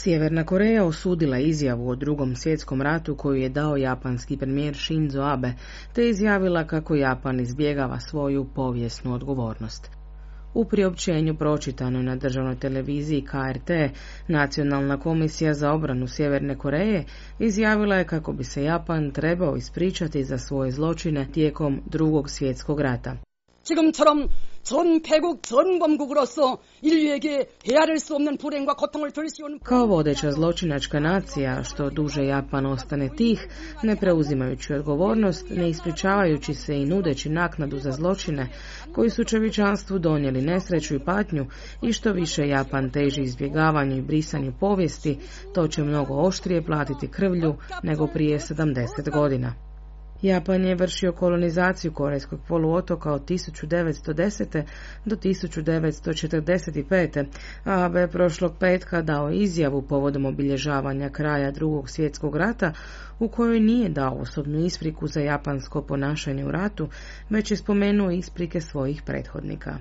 Sjeverna Koreja osudila izjavu o Drugom svjetskom ratu koju je dao japanski premijer Shinzo Abe, te izjavila kako Japan izbjegava svoju povijesnu odgovornost. U priopćenju pročitano na državnoj televiziji KRT, Nacionalna komisija za obranu Sjeverne Koreje izjavila je kako bi se Japan trebao ispričati za svoje zločine tijekom Drugog svjetskog rata. 지금처럼 전 패국 전 범국으로서 인류에게 헤아릴 수 없는 불행과 고통을 덜시오는 Kao vodeća zločinačka nacija, što duže Japan ostane tih, ne preuzimajući odgovornost, ne ispričavajući se i nudeći naknadu za zločine koji su čovječanstvu donijeli nesreću i patnju, i što više Japan teži izbjegavanju i brisanju povijesti, to će mnogo oštrije platiti krvlju nego prije 70 godina. Japan je vršio kolonizaciju Korejskog poluotoka od 1910. do 1945. a Abe prošlog petka dao izjavu povodom obilježavanja kraja Drugog svjetskog rata u kojoj nije dao osobnu ispriku za japansko ponašanje u ratu, već je spomenuo isprike svojih prethodnika.